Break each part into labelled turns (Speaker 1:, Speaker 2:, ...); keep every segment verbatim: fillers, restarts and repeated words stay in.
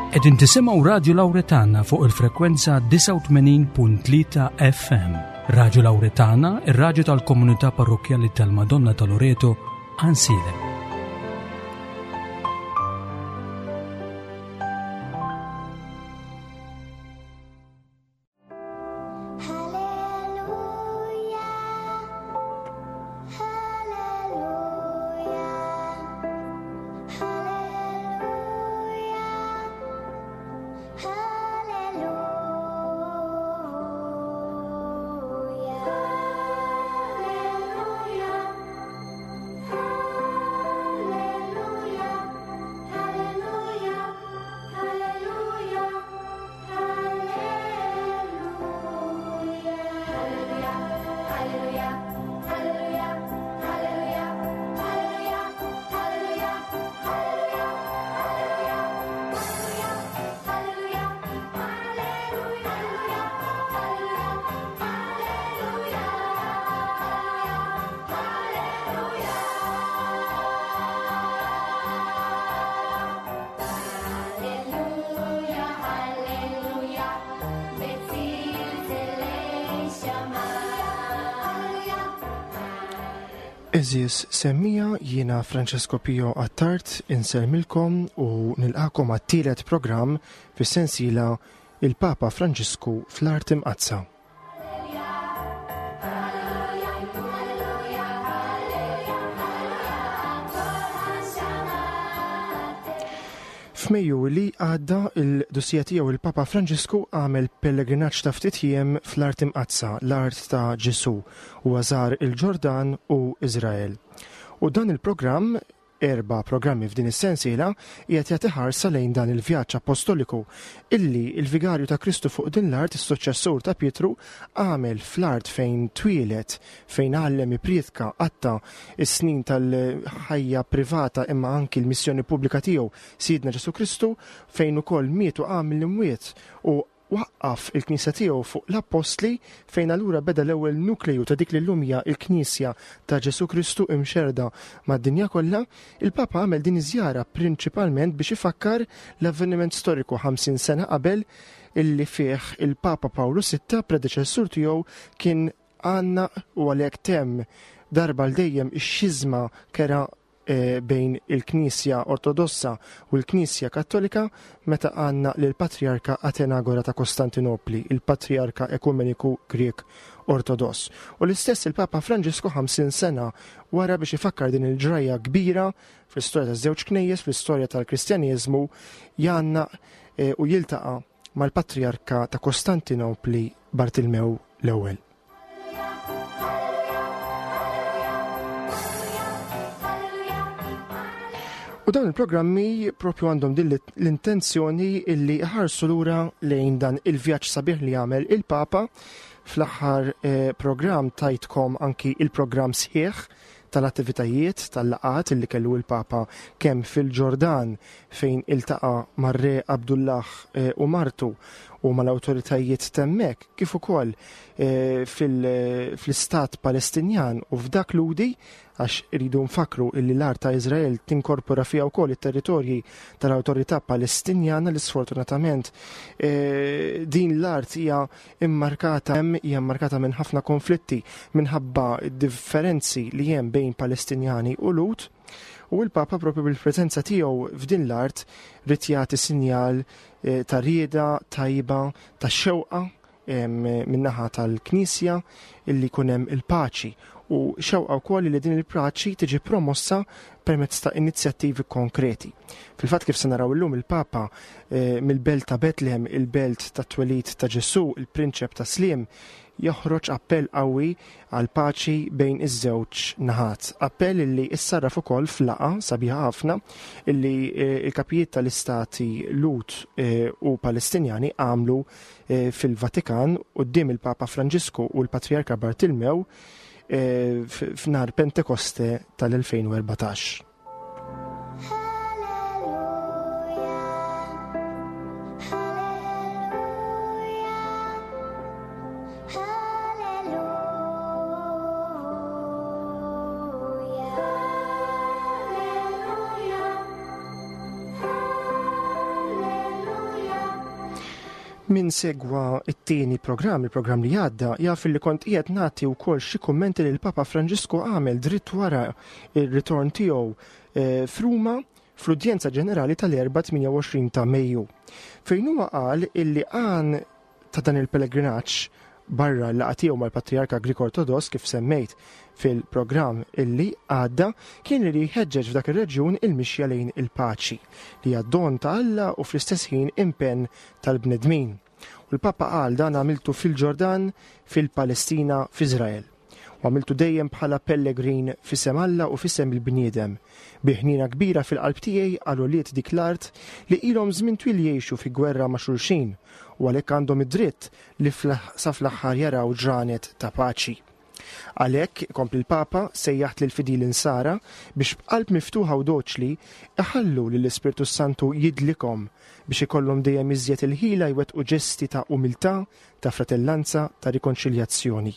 Speaker 1: Qegħdin tisimgħu Radio Lauretana fuq il-frekwenza disgħa u tmenin punt tlieta F M. Radio Lauretana, ir-raġu tal-komunità parrokjali tal-Madonna ta' Loreto, Għajnsielem.
Speaker 2: Hallelujah, Hallelujah, Hallelujah, Hallelujah, Hallelujah, Hallelujah, Hallelujah, Hallelujah. Hallelujah, Hallelujah, Hallelujah, Hallelujah, Hallelujah, Hallelujah, Hallelujah, Hallelujah, Hallelujah, Hallelujah, Hallelujah, Hallelujah, Hallelujah, בצלצלי שמיים.
Speaker 3: Għeżież semmiegħa, jiena Francesco Pio Attard insellmilkom u nilqagħkom għat-tielet programm fis-sensiela Il-Papa Franġisku fl-Art Imqaddsa. F'Mejju li għadda, il-Qdusija Tiegħu il-Papa Franġisku għamel pellegrinaġġ ta' ftit jiem fl-Art Imqaddsa, l-art ta' Ġesu, u żar il-Ġordan u Izrael. U dan il-programm, erba' programmi f'din is-sensiela, qiegħed jagħti ħarsa lejn dan il-vjaġġ apostoliku illi il-vigarju ta' Kristu fuq din l-art, is-suċċessur ta' Pietru, għamel fl-art fejn twieled, fejn għallem, ippriedka, qatta' is-snin tal-ħajja privata imma anki l-missjoni pubblika tiegħu Sidna Ġesu Kristu, fejn ukoll miet u qam mill-imwiet u waqqaf il-Knisja tiegħu fuq l-Appostli, fejn allura beda l-ewwel nukleju ta' dik li llum hija l-Knisja ta' Ġesu Kristu imxerda mad-dinja kollha. Il-Papa għamel din iż-żjara prinċipalment biex ifakkar l-avveniment storiku ħamsin sena qabel illi fih il-Papa Pawlu Sitta, predeċessur tiegħu, kien għannaq u għalhekk temm darba għal dejjem ix-xiżma kerha eh, bejn il-Knisja Ortodossa u l-Knisja Kattolika meta għannaq lill-Patriarka Atenagora ta' Kostantinopli, il-Patriarka Ekumeniku Grek Ortodoss. U l-istess il-Papa Franġisku ħamsin sena wara, biex ifakkar din il-ġrajja kbira fl-istorja ta' żewġ knejjes, fl-istorja tal-Kristjaneżmu, jgħannaq eh, u jiltaqa' mal-Patriarka ta' Kostantinopli Bartilmew l-Ewwel. U dawn il-programmi propju għandhom din l-intenzjoni illi ħarsu lura lejn dan il-vjaġġ sabiħ li għamel il-Papa. Fl-aħħar eh, programm tajtkom anki il-programm sħiħ tal-attivitajiet, tal-laqgħat illi kellu il-Papa kemm fil-Ġordan, fejn iltaqa' mar-Re Abdullah eh, u martu u mal-awtoritajiet t'hemmhekk, kif ukoll eh, fil-istat Palestinjan u f'dak Lhudi, għax iridu nfakru illi l-art ta' Izrael tinkorpora fiha wkoll it-territorji tal-awtorità Palestinjana, li sfortunatament eh, din l-art hija immarkata hemm hija immarkata minn ħafna konflitti minħabba differenzi li hemm bejn Palestinjani u Lhud. U l-Papa propju bil-preżenza tiegħu f'din l-art ried jagħti sinjal eh, ta' rieda tajba, ta' xewqa min-naħa tal-Knisja illi jkun hemm il-paċi, u xewqa wkoll li din il-paċi tiġi promossa permezz ta' inizjattivi konkreti. Fil-fatt, kif se naraw illum, il-Papa eh, mill-belt ta' Bethlehem, il-belt ta' twelid ta' Ġesu, il-Prinċep ta' Sliem, joħroġ appell qawwi għal paċi bejn iż-żewġ naħat. Appell illi issarraf ukoll f'laqgħa sabiħa ħafna illi eh, il-kapijiet tal-istati Lhud eh, u Palestinjani għamlu eh, fil-Vatikan quddiem il-Papa Franġisku u l-Patriarka Bartilmew f'nar Pentekoste tal-elfejn u erbatax.
Speaker 2: Hallelujah, Hallelujah, Hallelujah, Hallelujah,
Speaker 3: Min segwa it-tieni programm, il-programm li għadda, jaf li kont qiegħed nagħti wkoll xi kummenti li l-Papa Franġisku għamel dritt wara il-ritorn tiegħu eh, f'Ruma fl-Udjenza Ġenerali tal-erbgħa tmienja u għoxrin ta' Mejju. Fejn huwa qal illi għan ta' dan il-pellegrinaġġ, barra l-laqgħa tiegħu mal-Patriarka Grik Ortodoss kif semmejt fil-programm illi għadda, kien li jħeġġeġ f'dak ir-reġjun il-mixja lejn il-paċi li hija don ta' Alla u fl-istess ħin impenn tal-bnedmin. U l-Papa qal: "Dan għamiltu fil-Ġordan, fil-Palestina, f'Iżrael. U għamiltu dejjem bħala pellegrin f'isem Alla u f'isem il-bniedem. Bi ħnina kbira fil-qalb tiegħi għal ulied dik l-art li ilhom żmien twil jgħixu fi gwerra ma' xulxin u għalhekk għandhom id-dritt li sa fl-aħħar jaraw ġranet ta' paċi. Għalhekk," kompla l-Papa, "sejjaħt lil fidili Nsara biex b'qalb miftuħa u doċli iħallu lill-Ispirtu Santu jidlikhom biex ikollhom dejjem iżjed il-ħila jwettqu ġesti ta' umiltà, ta' fratellanza, ta' rikonċiljazzjoni.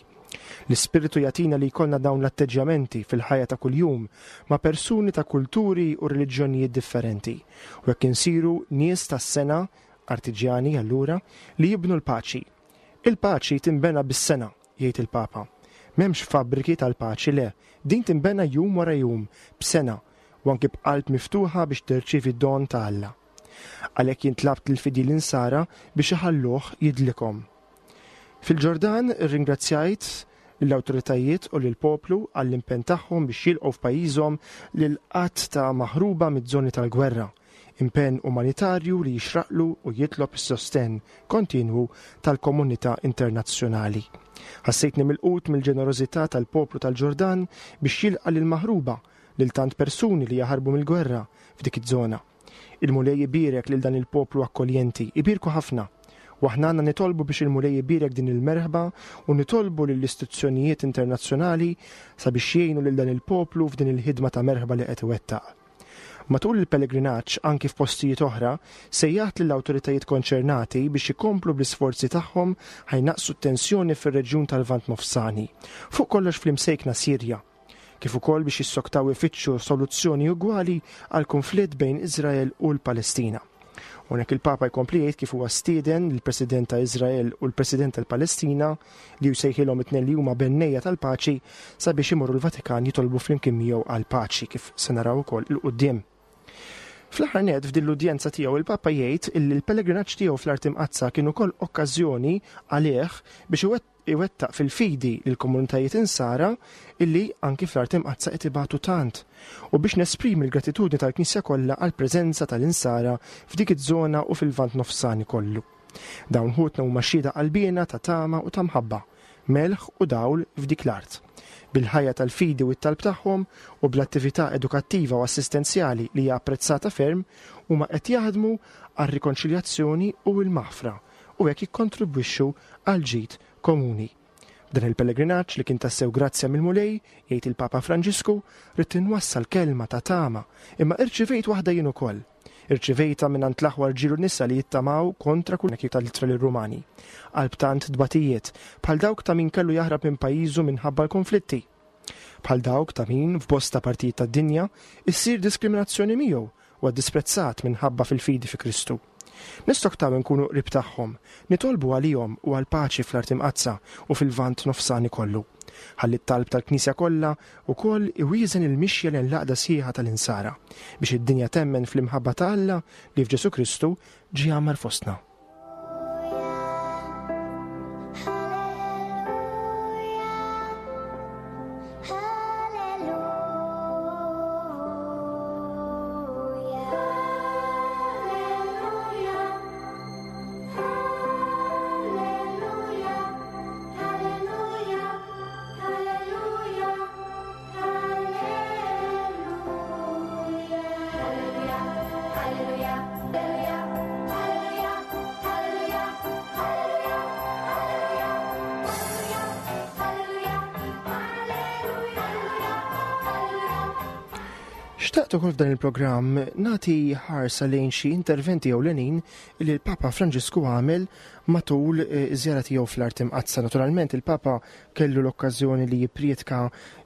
Speaker 3: L-Ispirtu jagħtina li jkollna dawn l-atteġġjamenti fil-ħajja ta' kuljum ma' persuni ta' kulturi u reliġjonijiet differenti. U hekk insiru nies tas-sengħa, artiġjani allura, li jibnu l-paċi. Il-paċi timbena bis-sengħa," jgħid il-Papa. "M'hemmx fabbriki tal-paċi, le, din timbena jum wara jum, b'sengħa, u anki b'qalb miftuħa biex tirċievi don ta' Alla. Għalhekk jien tlabt lill-fidili Nsara biex iħalluh jidlikhom. Fil-Ġordan irringrazzjajt l-awtoritajiet u lill-poplu għall-impenn tagħhom biex jilqgħu f'pajjiżhom lil għadd ta' maħruba miż-żoni tal-gwerra, impenn umanitarju li jixraqlu u jitlob is-sostenn kontinwu tal-komunità internazzjonali. Ħassejtni milqut mill-ġenerożità tal-poplu tal-Ġordan biex jilqa' lil maħruba, lil tant persuni li jaħarbu mill-gwerra f'dik iż-żona. Il-Mulej ibierek lil dan il-poplu akkoljenti, ibierku ħafna. U aħna għandna nitolbu biex il-Mulej ibierek din il-merħba u nitolbu lill-istituzzjonijiet internazzjonali sabiex jgħinu lil dan il-poplu f'din il-ħidma ta' merħba li qed iwettaq. Matul il-pellegrinaġġ, anki f'postijiet oħra, sejjaħt lill-awtoritajiet konċernati biex ikomplu bl-isforzi tagħhom ħa jnaqqsu t-tensjoni fir-reġjun tal-Lvant Nofsani, fuq kollox fl-imsejkna Sirja, kif ukoll biex jissoktaw ifittxu soluzzjoni ugwali għal konflitt bejn Iżrael u l-Palestina." Hawnhekk il-Papa jkompli jgħid kif huwa stieden il-President ta' Iżrael u l-President tal-Palestina, li jsejħilhom it-tnejn li huma bennejja tal-paċi, sabiex imorru l-Vatikan jitolbu flimkien miegħu għal-paċi, kif se naraw ukoll 'il quddiem. Fl-aħħar nett, f'din l-udjenza tiegħu, il-Papa jgħid illi l-pellegrinaġġ tiegħu fl-Art Imqaddsa kien ukoll okkażjoni għalih biex iwettaq fil-fidi lill-komunitajiet Insara illi anki fl-Art Imqaddsa qed ibatu tant u biex nesprimi l-gratitudni tal-Knisja kollha għall-preżenza tal-Insara f'dik iż-żona u fil-Lvant Nofsani kollu. Dawn ħutna huma xhieda qalbiena ta' tama u ta' mħabba, melħ u dawl f'dik l-art. Bil-ħajja tal-fidi u t-talb tagħhom u bl-attività edukattiva u assistenzjali li hija apprezzata ferm, huma qed jaħdmu għar-rikonċiljazzjoni u l-maħfra u hekk jikkontribwixxu għal ġid komuni. Dan il-pellegrinaġġ li kien tassew grazzja mill-Mulej," jgħid il-Papa Franġisku, "ridt inwassal kelma ta' tama, imma irċivejt waħda jien ukoll. Irċivejta minn l-aħwa rġiel u nisa li jittamaw kontra kull tal-Ittra lir-Rumani. Qalb tant tbatijiet, bħal dawk ta' min kellu jaħrab minn pajjiżu minħabba l-konflitti. Bħal dawk ta' min f'bosta partijiet tad-dinja issir diskriminazzjoni miegħu u disprezzat minħabba fil-fidi fi Kristu. Nistoktaw nkunu qrib tagħhom, nitolbu għalihom u għal paċi fl-Art Imqaddsa u fil-Lvant Nofsani kollu. Ħalli t-talb tal-Knisja kollha wkoll iwieżen il-mixja lejn l-għaqda sħiħa tal-Insara biex id-dinja temmen fl-imħabba ta' Alla li f'Ġesu Kristu ġie għammar fostna."
Speaker 2: Hallelujah, hallelujah, hallelujah, hallelujah, hallelujah, hallelujah, hallelujah, hallelujah, hallelujah, hallelujah, hallelujah, hallelujah, hallelujah.
Speaker 3: Xtaqt ukoll f'dan il-programm nagħti ħarsa lejn xi interventi ewlenin li l-Papa Franġisku għamel matul eh, iż-żjara tiegħu fl-Art Imqaddsa. Naturalment il-Papa kellu l-okkażjoni li jipprietka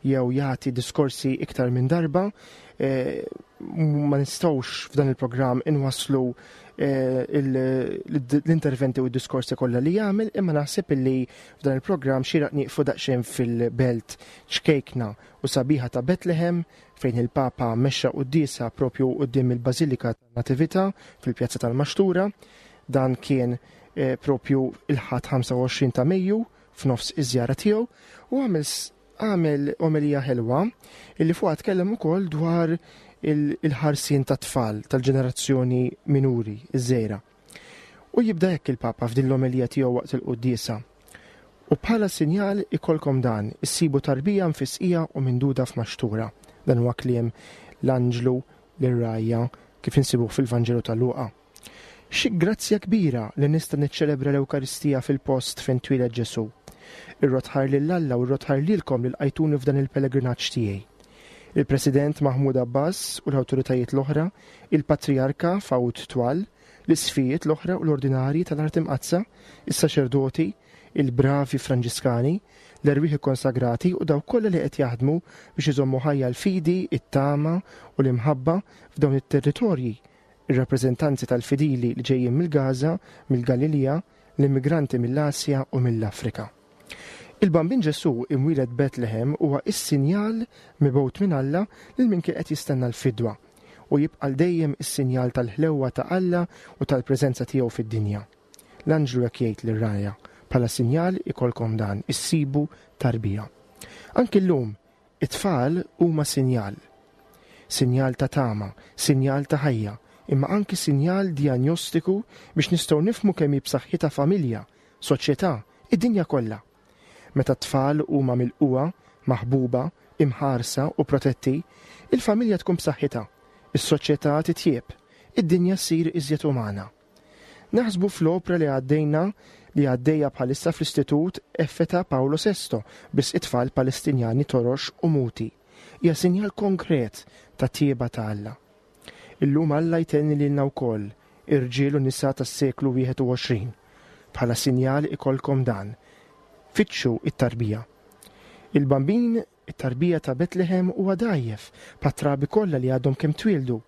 Speaker 3: jew jagħti diskorsi iktar minn darba. Eh, Ma nistgħux f'dan il-programm inwasslu eh, l-interventi u d-diskorsi kollha li jagħmel, imma naħseb illi f'dan il-programm xieraq nieqfu daqsxejn fil-belt ċkejkna u sabiħa ta' Betlehem, fejn il-Papa mexxa quddiesa propju quddiem il-Bażilika tan-Natività fil-Pjazza tal-Maxtura. Dan kien eh, propju il-Ħadd ħamsa u għoxrin ta' Mejju, f'nofs iż-żjara tiegħu, u għamel għamel omelija ħelwa illi fuqha tkellem ukoll dwar il-ħarsien ta' tfal tal-ġenerazzjoni minuri, iż-żgħira. U jibda hekk il-Papa f'din l-omelija tiegħu waqt il-quddiesa: "U bħala sinjal ikolkom dan, issibu tarbija mfisqija u minduda f'maxtura." Dan huwa kliem l-anġlu lir-rgħajja kif insibuh fil-Vanġelu ta' Luqa. "Xi grazzja kbira li nista' niċċelebra l-Ewkaristija fil-post fejn twieled Ġesu. Irrodd ħajr lil Alla u rrodd ħajr lilkom li lqajtuni f'dan il-pellegrinaġġ tiegħi. Il-President Mahmoud Abbas u l-awtoritajiet l-oħra, il-Patrijarka Fouad Twal, l-isqfijiet l-oħra u l-ordinari tal-Art Imqaddsa, is-saċerdoti, il-bravi Franġiskani, l-erwieħ konsagrati u dawk kollha li qed jaħdmu biex iżommu ħajja l-fidi, it-tama u l-imħabba f'dawn it-territorji, ir-rappreżentanzi tal-fidili li ġejjin mill-Gaza, mill-Galilija, l-immigranti mill-Asja u mill-Afrika. Il-Bambin Ġesu imwieled Betlehem huwa is-sinjal mibgħut minn Alla lil min kien qed jistenna l-fidwa u jibqa' dejjem is-sinjal tal-ħlewwa ta' Alla u tal-preżenza tiegħu fid-dinja. L-anġlu hekk jgħid lir-rgħajja: 'Bħala sinjal ikolkom dan, issibu tarbija.' Anki llum it-tfal huma sinjal. Sinjal ta' tama, sinjal ta' ħajja, imma anki sinjal diagnostiku biex nistgħu nifhmu kemm hi b'saħħitha familja, soċjetà, id-dinja kollha. Meta t-tfal huma milqugħa, maħbuba, imħarsa u protetti, il-familja tkun b'saħħitha, is-soċjetà titjieb, id-dinja ssir iżjed umana. Naħsbu fl-opra li għaddejna li għaddejja bħalissa fl-Istitut Effeta Paolo Sesto biex it-tfal Palestinjani torox u muti. Hija sinjal konkret ta' tjieba ta' Alla. Illum Alla jtenni lilna wkoll, irġiel u nisa tas-seklu wieħed u għoxrin. "Bħala sinjal ikolkom dan. Fittxu it-tarbija." Il-Bambin, it-tarbija ta' Betlehem, huwa dgħajjef, bħat-trabi kollha li għadhom kemm twildu.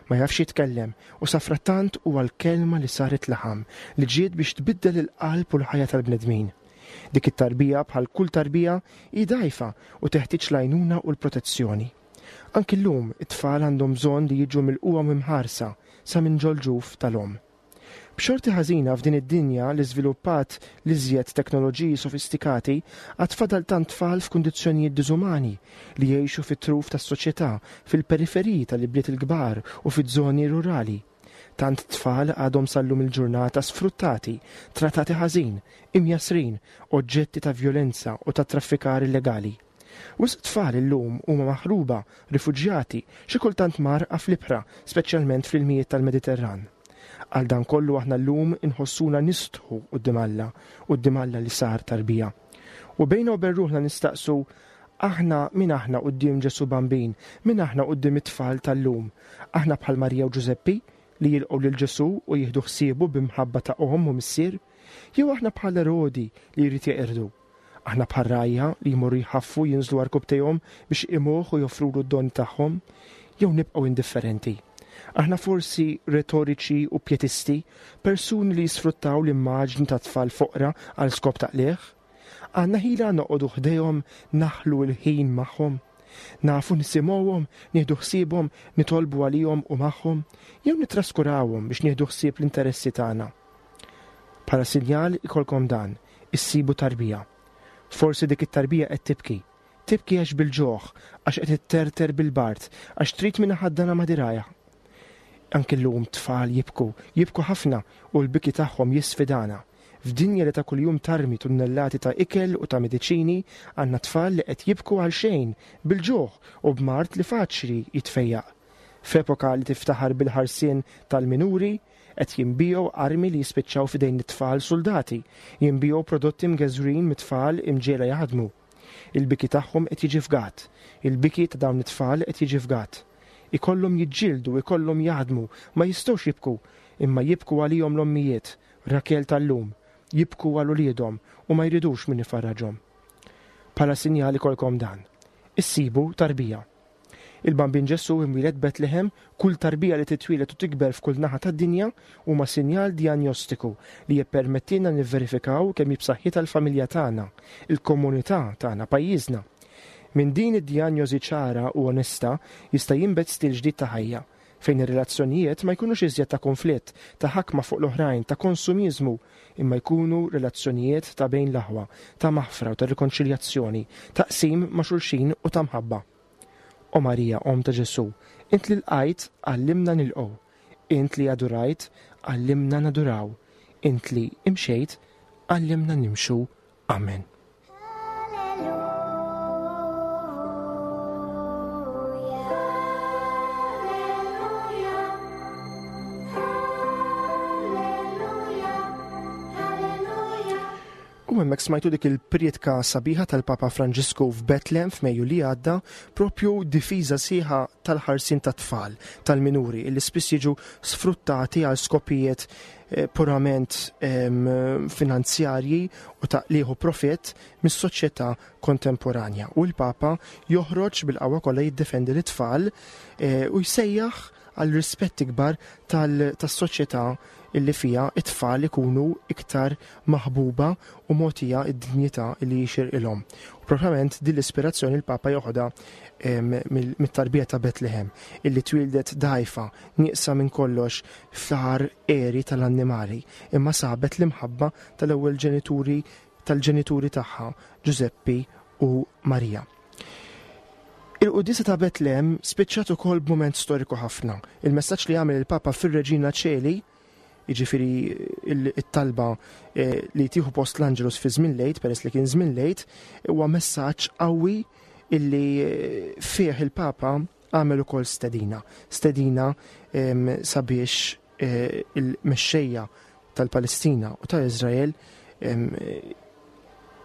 Speaker 3: Ma jafx jitkellem u safrattant huwa l-kelma li saret laħam li ġiet biex tbiddel il-qalb u l-ħajja tal-bnedmin. Dik it-tarbija, bħal kull tarbija, hi dgħajfa u teħtieġ l-għajnuna u l-protezzjoni. Anki llum it-tfal għandhom bżonn li jiġu milqugħa u mħarsa sa minn ġol-ġuf tal-omm. B'xorti ħażina, f'din id-dinja li żviluppat l-iżjed teknoloġiji sofistikati, għad fadal tant tfal f'kundizzjonijiet diżumani li jgħixu fit-truf tas-soċjetà, fil-periferiji tal-ibliet il-kbar u fiż-żoni rurali. Tant tfal għadhom sal-lum il-ġurnata sfruttati, trattati ħażin, imjassrin, oġġetti ta' violenza u ta' traffikar illegali. Wisq tfal illum huma maħruba, rifuġjati, xi kultant mgħarrqa fl-ibħra, speċjalment fl-ilmijiet tal-Mediterran. Għal dan kollu aħna llum inħossuna nistħu quddiem Alla, quddiem Alla li sar tarbija. U bejna u bejn ruħna nistaqsu: aħna min aħna quddiem Ġesu Bambin, min aħna quddiem it-tfal tal-lum? Aħna bħal Marija u Ġużeppi li jilqgħu lil Ġesu u jieħdu ħsiebu b'imħabba ta' omm u missier? Jew aħna bħal Erodi li jrid jeqirdu? Aħna bħal rgħajja li jmorru jħaffu jinżlu għarkupptejhom biex iqimuh u joffrulu d-don tagħhom? Jew nibqgħu indifferenti? Aħna forsi retoriċi u pietisti, persuni li jisfruttaw l-immaġni ta' tfal foqra għal skop ta' qligħ? Għandna ħila noqogħdu ħdejhom, naħlu l-ħin magħhom? Nafu nisimgħuhom, nieħdu ħsiebhom, nitolbu għalihom u magħhom, jew nitraskurawhom biex nieħdu ħsieb l-interessi tagħna? "Bħala sinjal ikolkom dan, issibu tarbija." Forsi dik it-tarbija qed tibki. Tibki għax bil-ġuħ, għax qed itterter bil-bard, għax trid min iħaddanha ma' dirgħajha. Anki llum tfal jibku, jibku ħafna, u l-biki tagħhom jisfidana. F'dinja li ta' kuljum tarmi tunnellati ta' ikel u ta' mediċini, għandna tfal li qed jibku għal xejn, bil-ġuħ u b'mard li faċli jitfejjaq. F'epoka li tiftaħar bil-ħarsien tal-minuri, qed jinbiegħu armi li jispiċċaw f'idejn it-tfal soldati, jinbiegħu prodotti mgeżwrin mit-tfal imġiegħla jaħdmu. Il-biki tagħhom qed jiġi fgat, il-biki ta' dawn it-tfal qed jiġi fgat. Ikollhom jiġġieldu, ikollhom jaħdmu, ma jistgħux jibku, imma jibku għalihom l-ommijiet, Rakel tal-lum, jibku għal uliedhom u ma jridux min ifarraġhom. "Bħala sinjal ikolkom dan, issibu tarbija." Il-Bambin Ġesù imwieled Betlehem, kull tarbija li titwieled u tikber f'kull naħa tad-dinja huma sinjal diagnostiku li jippermettilna nivverifikaw kemm hi b'saħħitha l-familja tagħna, il-komunità tagħna, pajjiżna. Minn din id-dijanjosi ċara u onesta jista' jinbet stil ġdid ta' ħajja, fejn ir-relazzjonijiet ma jkunux iżjed ta' konflitt, ta' ħakma fuq l-oħrajn, ta' konsumiżmu, imma jkunu relazzjonijiet ta' bejn l-aħwa, ta' maħfra u ta' rikonċiljazzjoni, ta' qsim ma' xulxin u ta' mħabba. O Marija, Omm ta' Ġesù, int li lqajt, għallimna nilqgħu, int li adurajt, għallimna naduraw, int li imxejt, għallimna nimxu. Amen. U hemmhekk smajtu dik il-prietka sabiħa tal-Papa Franġisku f'Bethlehem f'Mejju li għadda, propju difiża sieħa tal-ħarsien tat-tfal, tal-minuri, illi spiss jiġu sfruttati għal skopijiet eh, purament ehm, finanzjarji u ta' liħu profitt mis-soċjetà kontemporanja. U l-Papa joħroġ bil-qawwa kollha jiddefendi l-tfal eh, u jsejjaħ għal rispett ikbar tas-soċjetà illi fija it-tfal ikunu iktar maħbuba u mogħtija id-dinjità li jixirqilhom. U propjament din l-ispirazzjoni l-Papa joħodha mit-tarbija ta' Betlehem, illi twildet dgħajfa, nieqsa minn kollox fl-aħħar eri tal-annimali, imma sabet l-imħabba tal-ewwel ġenituri tal-ġenituri tagħha, Ġużeppi u Marija. Il-quddiesa ta' Betlehem spiċċat ukoll b'mument storiku ħafna. Il-messaġġ li għamel il-Papa fir-Reġina Ċeli, jiġifieri it-talba li tieħu post l-Angelus fi żmien lejt, peress li kien żmien lejt, huwa messaġġ qawwi illi fih il-Papa għamel ukoll stedina. Stedina sabiex il-mexxejja tal-Palestina u ta' Iżrael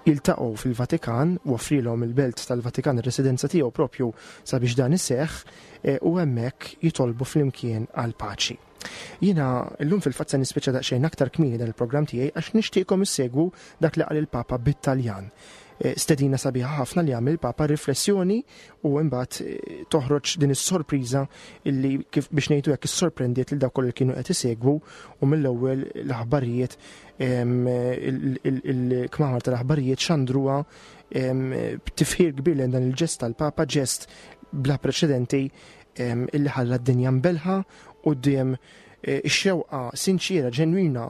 Speaker 3: jiltaqgħu fil-Vatikan, u offrilhom il-belt tal-Vatikan, ir-residenza tiegħu propju sabiex dan iseħħ, u hemmhekk jitolbu flimkien għal paċi. Jiena llum fil-fatt se nispiċċa daqsxejn aktar kmieni dan il-programm tiegħi għax nixtieqkom issegwu dak li qal il-Papa bit-Taljan. Stedina sabiħa ħafna li għamel il-Papa, riflessjoni, u imbagħad toħroġ din is-sorpriża illi kif biex ngħidu hekk issorprendiet lil dawk kollha li kienu qed isegwu, u mill-ewwel l-aħbarijiet, il-kmamar tal-aħbarijiet xandruha b'tifħir kbir lejn dan il-ġest tal-Papa, ġest bla preċedenti illi ħalla d-dinja mbelħa quddiem ix-xewqa sinċiera, ġenwina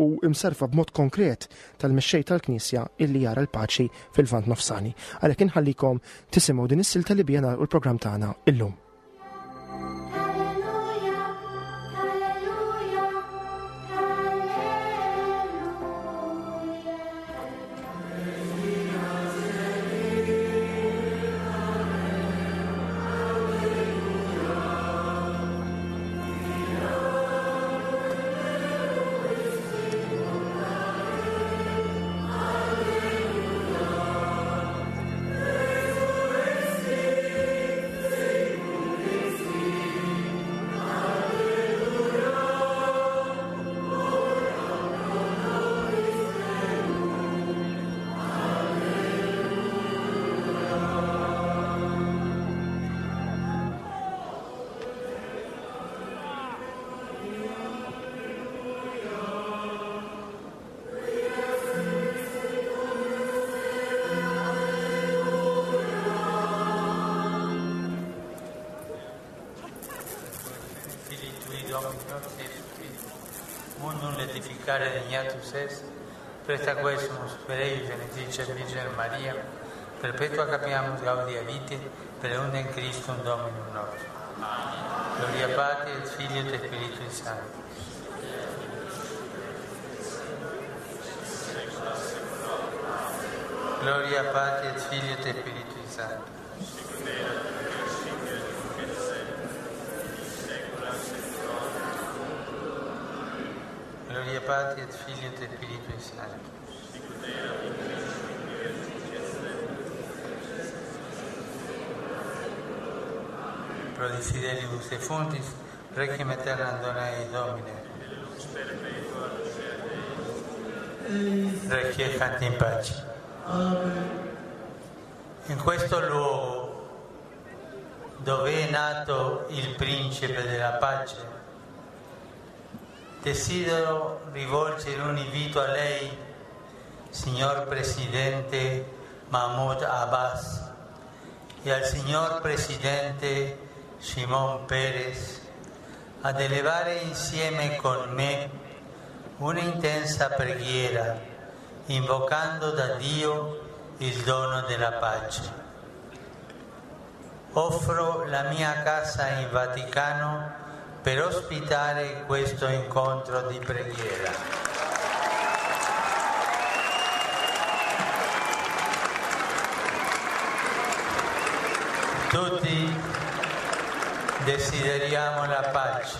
Speaker 3: u imsarfa b'mod konkret tal-mexxej tal-Knisja illi jara l-paċi fil-Lvant Nofsani. Għalhekk inħallikom tisimgħu din is-silta li bija nagħlqu l-programm tagħna illum.
Speaker 4: Presta quesumus per eius genitrice Virgine Maria, perpetua capiamus gaudia vitae, per unum Christum Dominum nostrum. Gloria Patri et Filio et Spiritui Sancto. Gloria Patri et Filio et Spiritui Sancto. Gloria Patri et Filio et Spiritui Sancto. Pro desideribus defuntis, requiem aeternam dona ei Domine. Requiescant in pace. In questo luogo dove è nato il principe della pace, desidero rivolgere un invito a lei, signor Presidente Mahmoud Abbas, e al signor Presidente Shimon Peres, ad elevare insieme con me un'intensa preghiera, invocando da Dio il dono della pace. Offro la mia casa in Vaticano per ospitare questo incontro di preghiera. Tutti desideriamo la pace.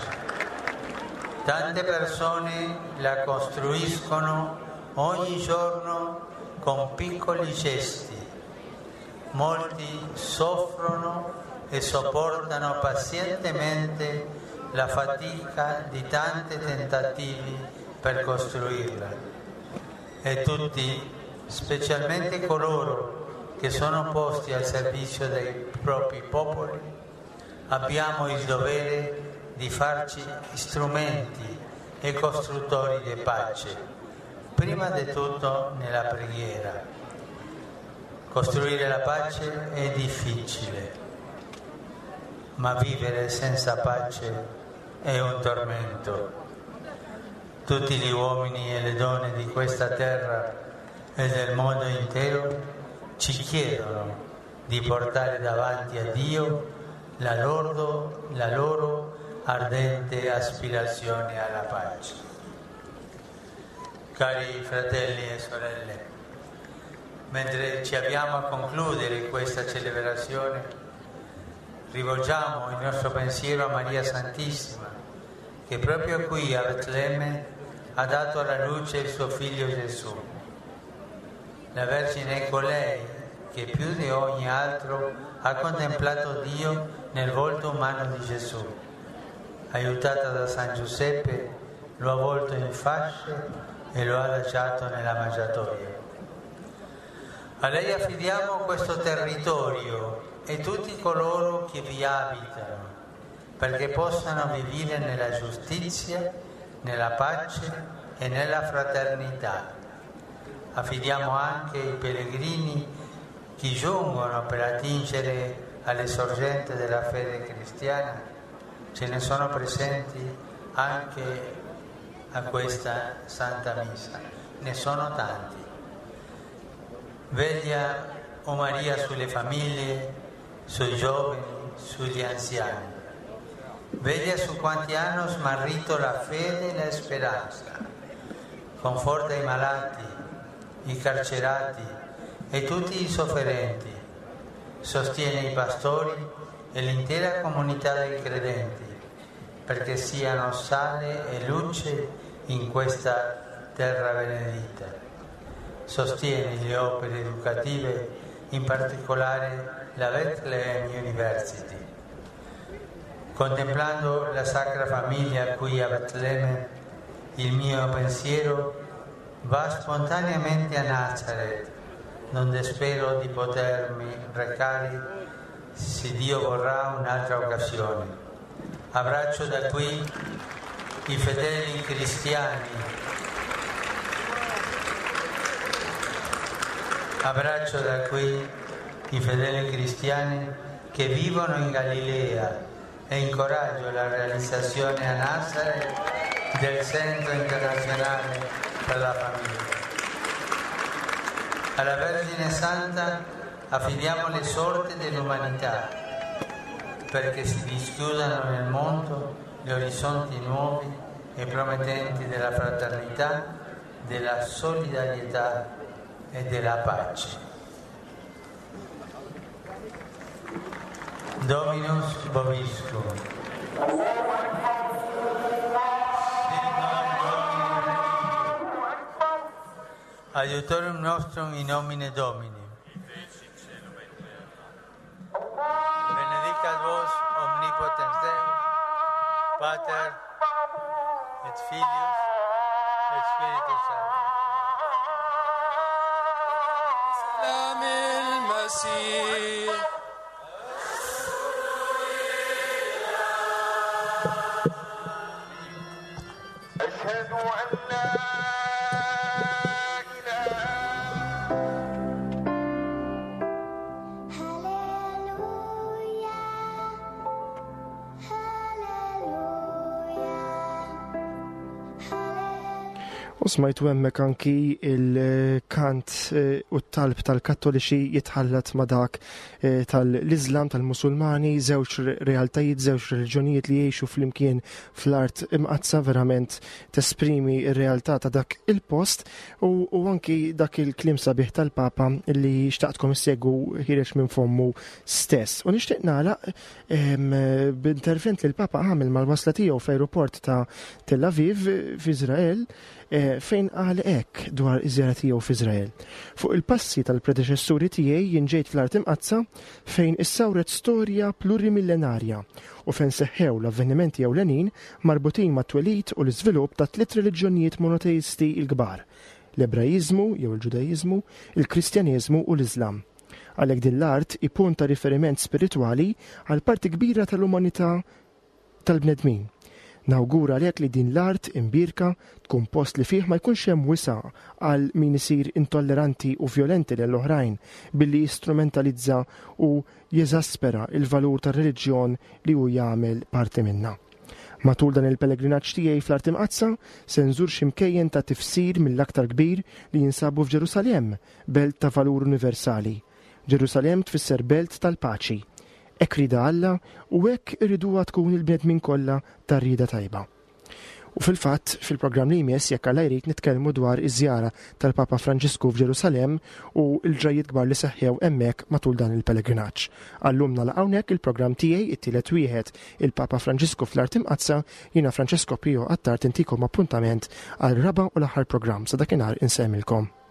Speaker 4: Tante persone la costruiscono ogni giorno con piccoli gesti. Molti soffrono e sopportano pazientemente la fatica di tanti tentativi per costruirla. E tutti, specialmente coloro che sono posti al servizio dei propri popoli, abbiamo il dovere di farci strumenti e costruttori di pace, prima di tutto nella preghiera. Costruire la pace è difficile, ma vivere senza pace è un tormento. Tutti gli uomini e le donne di questa terra e del mondo intero ci chiedono di portare davanti a Dio la loro, la loro ardente aspirazione alla pace. Cari fratelli e sorelle, mentre ci avviamo a concludere questa celebrazione, rivolgiamo il nostro pensiero a Maria Santissima, che proprio qui a Betlemme ha dato alla luce il suo figlio Gesù. La Vergine è colei che più di ogni altro ha contemplato Dio nel volto umano di Gesù. Aiutata da San Giuseppe, lo ha avvolto in fasce e lo ha lasciato nella mangiatoia. A lei affidiamo questo territorio e tutti coloro che vi abitano, perché possano vivere nella giustizia, nella pace e nella fraternità. Affidiamo anche i pellegrini che giungono per attingere alle sorgenti della fede cristiana. Ce ne sono presenti anche a questa Santa Messa, ne sono tanti. Veglia, o Maria, sulle famiglie, sui giovani, sugli anziani. Veglia su quanti hanno smarrito la fede e la speranza. Conforta i malati, i carcerati e tutti i sofferenti. Sostiene i pastori e l'intera comunità dei credenti, perché siano sale e luce in questa terra benedetta. Sostiene le opere educative, in particolare la Bethlehem University. Contemplando la Sacra Famiglia qui a Betlemme, il mio pensiero va spontaneamente a Nazareth, donde spero di potermi recare, se Dio vorrà, un'altra occasione. Abbraccio da qui i fedeli cristiani. Abbraccio da qui i fedeli cristiani che vivono in Galilea e incoraggio la realizzazione a Nazareth del Centro Internazionale per la Famiglia. Alla Vergine Santa affidiamo le sorti dell'umanità, perché si dischiudano nel mondo gli orizzonti nuovi e promettenti della fraternità, della solidarietà e della pace. Dominus vobiscum. Aiutorium nostrum in nomine Domini. Benedicat vos omnipotens Deus, Pater et Filius et Spiritus Sanctus.
Speaker 5: سلام المسيح. أشهد أن لا إله.
Speaker 2: Hallelujah, hallelujah, hallelujah.
Speaker 3: U smajtu hemmhekk anki il-kant eh, u t-talb tal-Kattoliċi jitħallat ma' dak eh, tal-Islam, tal-Musulmani, żewġ realtajiet, żewġ reliġjonijiet li jgħixu flimkien fl-Art Imqaddsa, verament tesprimi r-realtà ta' dak il-post u, u anki dak il-kliem sabiħ tal-Papa li xtaqtkom issegwu ħiereġ minn fommu stess. U nixtieq nagħlaq em, b'intervent li l-Papa għamel mal-wasla tiegħu fl-aeroport ta' Tel Aviv f'Iżrael, eh, fejn qal hekk dwar iż-żjara tiegħu f'Iżrael: "Fuq il-passi tal-predeċessuri tiegħi jien ġejt fl-Art Imqaddsa fejn issawret storja plurimillenarja u fejn seħħew l-avvenimenti ewlenin marbutin mat-twelid u l-iżvilupp ta' tliet reliġjonijiet monoteisti l-kbar: l-Ebraiżmu jew il-Ġudaiżmu, il-Kristjaneżmu u l-Iżlam. Għalhekk din l-art hi punt ta' riferiment spiritwali għal parti kbira tal-umanità tal-bnedmin. Nawgura għalhekk li din l-art imbierka tkun post li fih ma jkunx hemm wisa' għal min isir intolleranti u violenti lil oħrajn billi jistrumentalizza u jeżaspera il-valur tar-reliġjon li hu jagħmel parti minna. Matul dan il-pellegrinaġġ tiegħi fl-Art Imqaddsa se nżur xi mkejjen ta' tifsir mill-aktar kbir li jinsabu f'Ġerusalemm, belt ta' valur universali. Ġerusalemm tfisser belt tal-paċi. Hekk riedha Alla u hekk iriduha tkun il-bnedmin kollha tar-rieda tajba." U fil-fatt, fil-programm li jmiss, jekk Alla jrid, nitkellmu dwar iż-żjara tal-Papa Franġisku f'Ġerusalemm u l-ġrajiet kbar li seħħew hemmhekk matul dan il-pellegrinaġġ. Għal-lum nagħlaq hawnhekk il-programm tiegħi, it-tielet wieħed, il-Papa Franġisku fl-Art Imqaddsa. Jiena Francesco Pio Attard, intikom appuntament għal raba' u l-aħħar programm. Sa dakinhar insemmilkom.